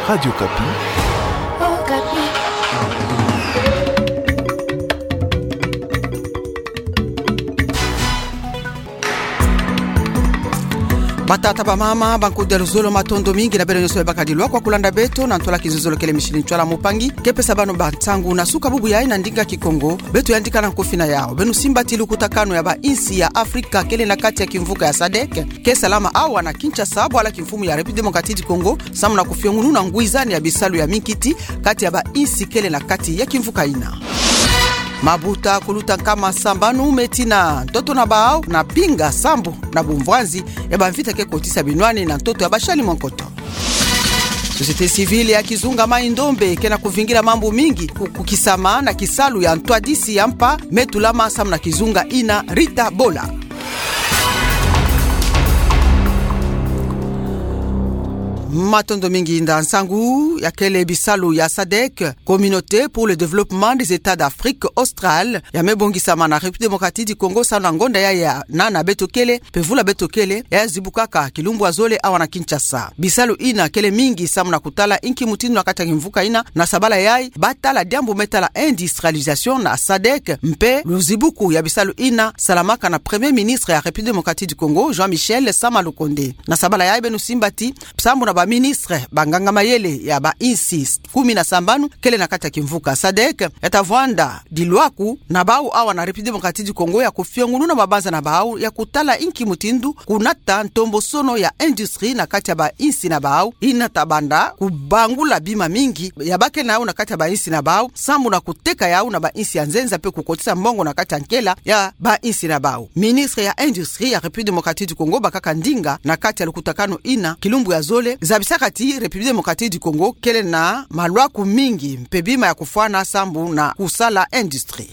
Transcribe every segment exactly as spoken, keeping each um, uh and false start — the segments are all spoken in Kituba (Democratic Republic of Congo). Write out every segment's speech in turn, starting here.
Radio Okapi. Batata, bamama, bankudia, luzolo, matondo mingi na beno nyonso bebakadi lwakwa kulanda beto na ntwala kizololo kele mishini ntwala mupangi ke pesa bano bansangu na suka bubu yayi na ndinga Kikongo. Beto yandika na nkofi na yawu. Beno simba ti lukutakanu ya bainsi ya Afrika kele na kati ya kimvuka ya sadek ke salama awa na Kinshasa, bwala kimfumu ya République Démocratique du Congo, samu na kufiongununa ngwizani ya bisalu ya minkiti kati ya bainsi kele na kati ya kimvuka ina. Mabuta kuluta nkama sambanu me tina ntoto na bawu na pinga sambu na bumvwanzi ya bamvita ke kotisa binwani na ntoto ya bashali mwa nkoto. Société civile ya kizunga Mai-Ndombe ke na kuvingila mambu mingi ku-, kukisama na kisalu ya ntwadisi ya mpa me tulama samu na kizunga ina Rita Bola. Matondo mingi. Nda nsangu ya kele bisalu ya sadek, Communauté pour le développement des États d'Afrique australe, ya me bongisama na République Démocratique du Congo samu na ngonda yayi ya nana beto kele, mpe vula beto kele, ya zibukaka kilumbu ya zole awa na Kinshasa. Bisalu ina kele mingi samu na kutala inki mutindu na kati ya kimvuka ina, na sabala yayi, batala diambu me tala industrialisation na sadek, mpe luzibuku ya bisalu ina salamaka na Premier Ministre ya République Démocratique du Congo, Jean-Michel Sama Lukonde. Na sabala yayi beno simba ti, sambu na baministre, banganga mayele ya bainsi kumi na sambanu kele na kati ya kimvuka sadek, ya ta vwanda dilwaku na bawu awa na République Démocratique du Congo ya kufiongununa mabanza na bawu ya kutala inki mutindu kunata ntombosono ya industrie na kati ya bainsi na bawu, ina ta banda kubangula bima mingi ya ba ke na yawu na kati ya bainsi na bawu, sambu na kuteka yawu na bainsi ya nzenza mpe kukotisa mbongo na kati ya nkela ya bainsi na bawu. Ministre ya Industrie ya République Démocratique du Congo bakaka ndinga na kati ya lukutakanu ina kilumbu ya zole, zabisaka ti République Démocratique du Congo kele na malwaku mingi mpe bima ya kufwana sambu na kusala industrie.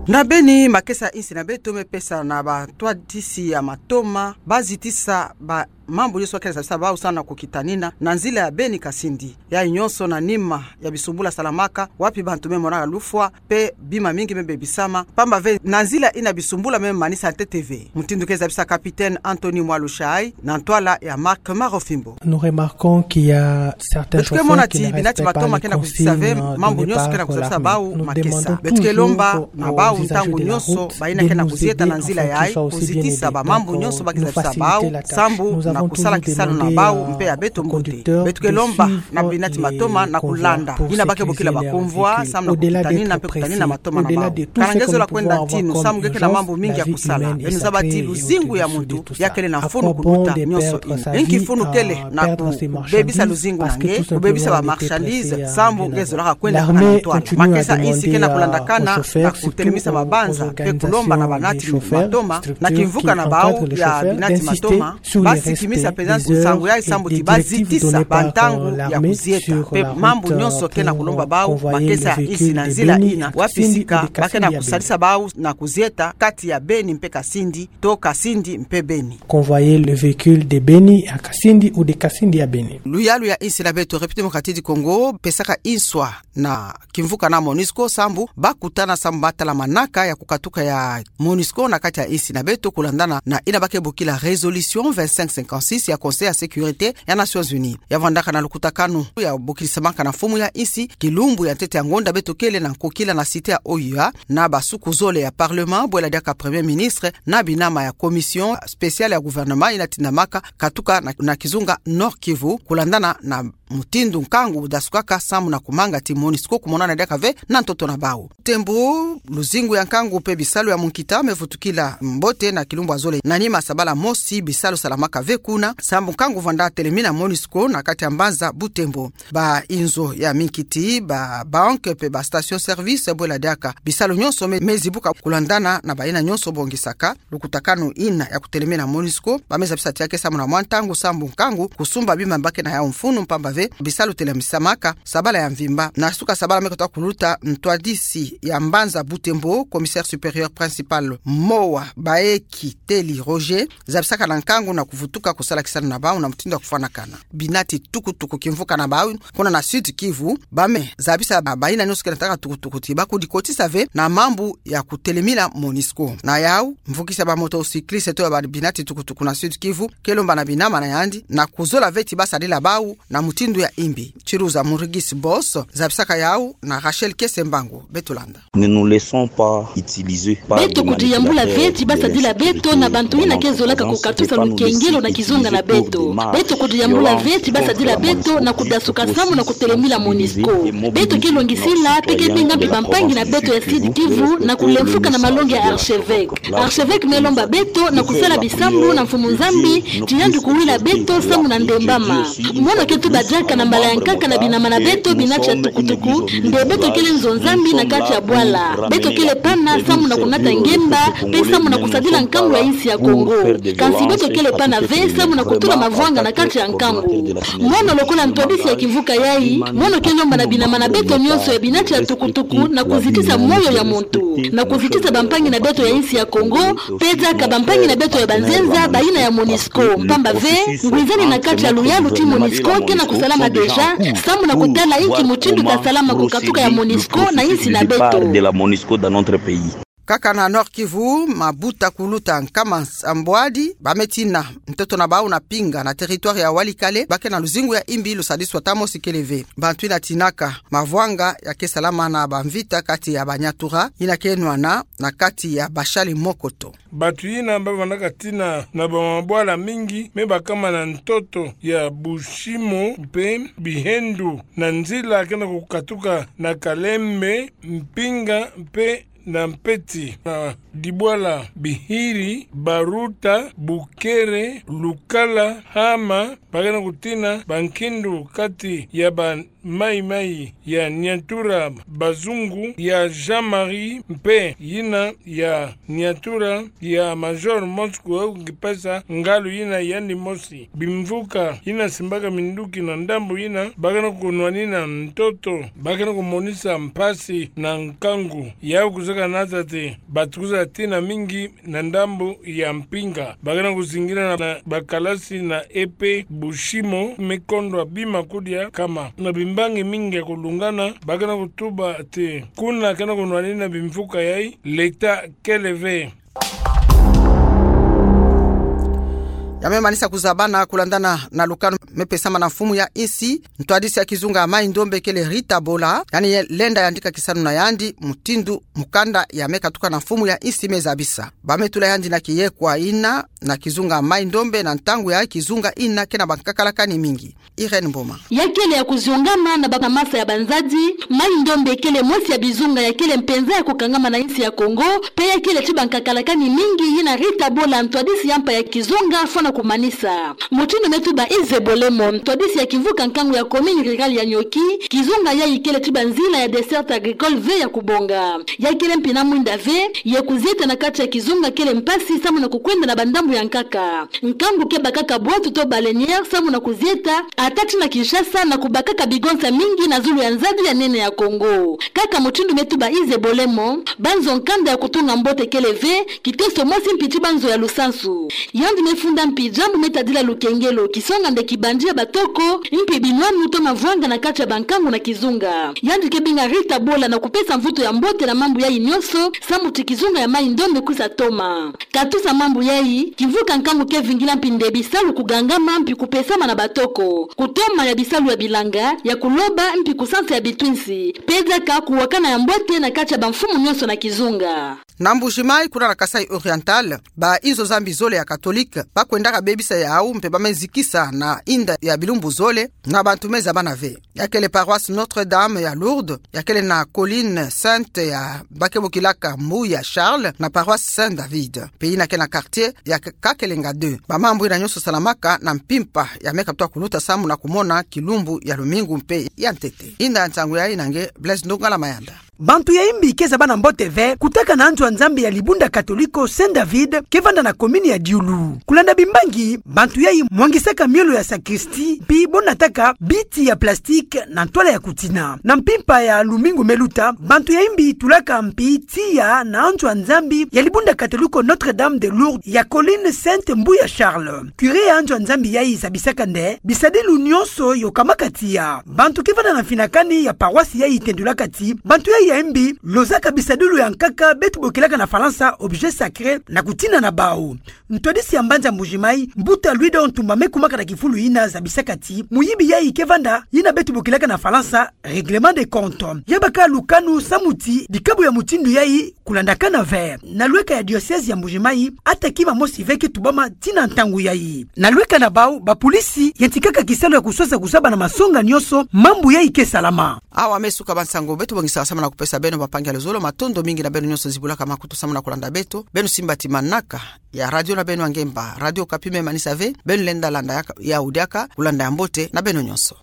Na Beni, makesa ya insi na beto me pesa na bantwadisi ya matoma bazitisa ba mambu nyonso ba ke na zabisa bawu samu na kukitanina na nzila ya Beni-Kasindi. Yayi nyonso na nima ya bisumbula salamaka, wapi bantu me monaka lufwa, mpe bima mingi me bebisama. Pamba ve na nzila ina bisumbula me manisa ntete ve. Mutindu ke zabisa Capitaine Anthony Mwalushai, na ntwala ya Marc Marofimbo. Nous remarquons qu'il y a certains chauffeurs qui ne respectent pas les consignes données par la rame. Beto ke mona ti binati matoma ke na kuzitisa ve mambu nyonso ke na kuzabisa bawu makesa. Beto ke lomba na bawu ntangu nyonso, bayina ke na kuzieta na nzila yayi, kuzitisa bamambu nyonso ba ke zabisa bawu, sambu na kusala kisalu na bawu mpe ya beto mbote. Beto ke lomba na binati matoma na kulanda yina ba ke bokila ba convois, samu na kukitanina mpe kutanina matoma na bawu. Kana nge zola kwenda ntinu, samu nge ke na mambu mingi ya kusala. Beno zaba ti luzingu ya muntu ya kele na mfunu kuluta nyonso ina. Inki mfunu kele na kubebisa luzingu na nge, kubebisa ba marchandises, sambu nge zolaka kwenda na ntwala. Makesa insi ke na kulandakana na kutelemisa mabanza, mpe kulomba na banati matoma, na kimvuka na bawu ya binati matoma, basikimisa mpenza nsangu yayi sambu ti bazitisa bantangu ya kuzieta. Mpe mambu nyonso ke na kulomba bawu makesa insi na nzila ina, wapi sika ba ke na kusalisa bawu na kuzieta kati ya Beni mpe Kasindi, to Kasindi mpe Beni. Convoyer le véhicule de Beni à Kasindi ou de Kasindi à Beni. Luyalu ya insi na beto République Démocratique du Congo pesaka inswa na kimvuka na MONUSCO sambu bakutana sambu batala manaka ya kukatuka ya MONUSCO na kati ya insi na beto, kulandana na ina ba ke bokila résolution vingt-cinq cinquante-six ya Conseil ya Sécurité ya Nations Unies. Ya vwandaka na lukutakanu ya bokilisamaka na mfumu ya insi kilumbu ya ntete ya ngonda beto kele na nkokila na cité ya O U A, na basuku zole ya Parlement, bwela diaka Premier Ministre na binama ya Commission spéciale ya gouvernement ina tindamaka katuka na, na kizunga Nord-Kivu, kulandana na mutindu nkangu dasukaka sambu na kumanga ti MONUSCO kumonana diaka ve na ntoto na bawu. Tembo, luzingu ya nkangu mpe bisalu ya munkita me vutukila mbote na kilumbu ya zole. Na nima sabala mosi bisalu salamaka ve kuna, sambu nkangu vwanda telemina MONUSCO na kati ya mbanza Butembo. Ba inzo ya minkiti, ba banque mpe ba station service, bwela diaka bisalu nyonso me, me zibuka, kulandana na bayina nyonso bongisaka lukutakanu ina ya kutelemina MONUSCO, ba me zabisa ti ya ke sambu na mwa ntangu sambu nkangu kusumba bima ba ke na yawu mfunu, pamba ve bisalu telemisamaka sabala ya mvimba. Na suka sabala me katoa kuluta, ntwadisi ya mbanza Butembo, commissaire supérieur principal Moa Baeki Teli Roger, zabisaka na nkangu na kuvutuka kusala kisalu na bau na mutindu ya kufwanakana. Binati tukutuku kimvuka na bau kuna na Sud-Kivu, bame zabisa ba, bayina nyonso ke nataka tukutuku ti bakudikotisa ve na mambu ya kutelemila MONUSCO. Na yau, mvukisi ya ba motocycliste to ya ba binati tukutuku na Sud-Kivu ke lomba na binama na yandi na kuzola ve ti basadila bau na mutindu ya imbi. Chiruza Murigisi Boss zabisaka yau na Rachel Kesembangu. Beto landa. Ne nous laissons pas utiliser par des manipulateurs. Beto kudiyambula ve ti basadila beto na bantu yina ke zolaka kukatusa lukengelo na kizunga na beto. Beto kudiyambula ve ti basadila beto na kudasuka samu na kutelemila MONUSCO. Beto ke longisila mpe ke binga mbi bampangi na beto ya Sud-Kivu na kulemfuka na malongi ya archevêque. Archevêque me lomba beto na kusala bisambu na Mfumu Nzambi ti yandi kuwila beto samu na ndembama. Mono ke tuba diaka na mbala ya nkaka na binama na beto binati ya tukutuku nde beto kele nzo Nzambi na kati ya bwala. Beto kele pana samu na kunata ngemba mpe samu na kusadila nkangu ya insi ya Kongo. Kansi beto kele pana ve samu na kutula mavwanga na kati ya nkangu. Mono lokola ntwadisi ya kimvuka yai, mono ke lomba na binama na beto nyonso ya binati ya tukutuku na kuzitisa moyo ya muntu, na kuzitisa bampangi na beto ya insi ya Kongo, mpe diaka bampangi na beto ya banzenza bayina ya MONUSCO. Pamba ve, ngwizani na kati ya luyalu ti MONUSCO ke na kusalama déjà, samu na kutala inki mutindu ka salama kukatuka ya MONUSCO na insi na beto. Kaka na Nord-Kivu, mabuta kuluta nkama nsambwadi bame tina ntoto na bau na Pinga na territoire ya Walikale, ba ke na luzingu ya imbi lusadiswa ta mosi kele ve. Bantu yina tinaka mavwanga ya ke salama na bamvita kati ya ba Nyatura yina ke nwana na kati ya Bashali Mokoto. Bantu yina ba vandaka tina na bamabwala mingi me bakama na ntoto ya Bushimo mpe Bihendu na nzila ke na kukatuka na Kalembe, Mpinga mpe na Mpeti, na dibwala Bihiri, Baruta, Bukere, Lukala, Hama, ba ke na kutina bankindu kati ya ba Maï-Maï ya Nyatura, Bazungu ya Jean-Marie mpe yina ya Nyatura ya Major Mosco, au ngi pesa ngalu yina yandi mosi. Bimvuka yina simbaka minduki na ndambu yina ba ke na kunwanina ntoto, ba ke na kumonisa mpasi na nkangu. Yau kuzeka na tâ ti batukuza tina mingi na ndambu ya Mpinga. Ba ke na kuzingila na, na bakalasi na E P Bushimo, me kondwa bima kudia kama. Na bimbangi mingi ya kulungana, ba ke na kutuba ti kuna ke na kunwanina bimvuka yai, l'État kele ve. Ya me manisa kuzabana kulandana na lukanu me pesama na mfumu ya insi, ntwadisi ya kizunga ya Maï-Ndombe kele Rita Bola, yandi lenda yandika kisalu na yandi mutindu mukanda ya me katuka na mfumu ya insi me zabisa. Ba me tula yandi na kiyekwa yina na kizunga Maï-Ndombe na ntangu ya kizunga yina ke na bankakalakani mingi. Irène Mboma. Ya kele ya kuziongama na ba, na masa ya banzadi, Maï-Ndombe kele mosi ya bizunga ya kele mpenza ya kukangama na insi ya Kongo, mpe ya kele ti bankakalakani mingi yina Rita Bola, ntwadisi ya mpa ya kizunga, fwana kumanisa. Mutindu me tuba Ize Bolemo, ntwadisi ya kimvuka nkangu ya commune rurale ya Niokh-i, kizunga yai kele ti banzila ya desserte agricole ve ya kubonga. Ya kele mpi na mwinda ve, ye kuzieta na kati ya kizunga kele mpasi samu na kukwenda na bandambu ya nkaka. Nkangu ke bakaka bwatu to baleinière samu na kuzieta, ata ti na Kinshasa, na kubakaka bigonsa mingi na zulu ya nzadi ya nene ya Kongo. Kaka mutindu me tuba Ize Bolemo, banzo nkanda ya kutunga mbote kele ve, kiteso mosi mpi ti banzo ya lusansu. Yandi me funda mpi diambu me tadila lukengelo, kisonga nde kibandi ya batoko, mpi binwanu to mavwanga na kati ya bankangu na kizunga. Yandi ke binga Rita Bola na kupesa mvutu ya mbote na mambu yai nyonso, samu ti kizunga ya Maï-Ndombe kwisa toma. Katusa mambu yai, kimvuka nkangu ke vingila mpi nde bisalu kugangama mpi kupesama na batoko, kutoma ya bisalu ya bilanga, ya kuloba mpi kusansa ya bitwinsi, mpe diaka kuwakana ya mbote na kati ya bamfumu nyonso na kizunga. Na Mbuji-Mayi, kuna na Kasaï Oriental, ba inzo za mbi zole ya katolike ba kwendaka bebisa yau mpe ba me zikisa na inda ya bilumbu zole na bantu me zabana ve. Ya kele paroisse Notre-Dame ya Lourdes, ya kele na colline sainte ya ba ke bokilaka Mbuya Charles, na paroisse Saint David, mpe yina ke na quartier ya K-, Kakelenga deux. Ba mambu yina nyonso salamaka na mpimpa ya me katuka kuluta samu na kumona kilumbu ya lumingu mpe ya ntete. Inda ya nsangu yai na nge Blaise Ndongala Mayanda. Bantu ya Imbi ke zaba na mbote ve kutaka na anzo a Nzambi ya libunda katoliko Saint David ke vanda na commune ya Dioula. Kulanda bimbangi, bantu yayi mwangisaka miolo ya sacristie mpi bo nataka biti ya plastique na ntwala ya kutina. Na mpimpa ya lumingu meluta, bantu ya Imbi tulaka mpi tiya na anzo a Nzambi ya libunda katoliko Notre-Dame de Lourdes ya colline Sainte Mbuya Charles. Curé ya anzo a Nzambi yayi zabisaka nde bisadilu nyonso yo kamaka tiya. Bantu ke vanda na mfinakani ya paroisse yayi tendulaka ti bantu yayi ya Imbi lozaka bisadilu ya nkaka beto bokilaka na Falansa objet sacré na kutina na bau. Ntwadisi ya mbanza Mbuji-Mayi, mbuta Louis Dor Ntumba, me kumaka na kifulu yina zabisaka ti muyibi yayi ke vanda yina beto bokilaka na Falansa règlement de compte. Ya baka lukanu samu ti dikabu ya mutindu yayi kulandakana ve. Na lweka ya diocèse ya Mbuji-Mayi, ata kima mosi ve ke tubama tii na ntangu yayi. Na lweka na bau, bapolisi yantikaka kisalu ya kuswasa kusaba na masonga nyonso mambu yayi ke salama. Awa me suka ba nsangu beto bongisaka samu na kupesa beno, bampangi ya luzolo. Matondo mingi na beno nyonso zibulaka makutu samu na kulanda beto. Beno simba ti manaka ya radio na beno ya ngemba, Radio Okapi, me manisa ve beno lenda landa yaka, ya udiaka kulanda ya mbote na beno nyonso.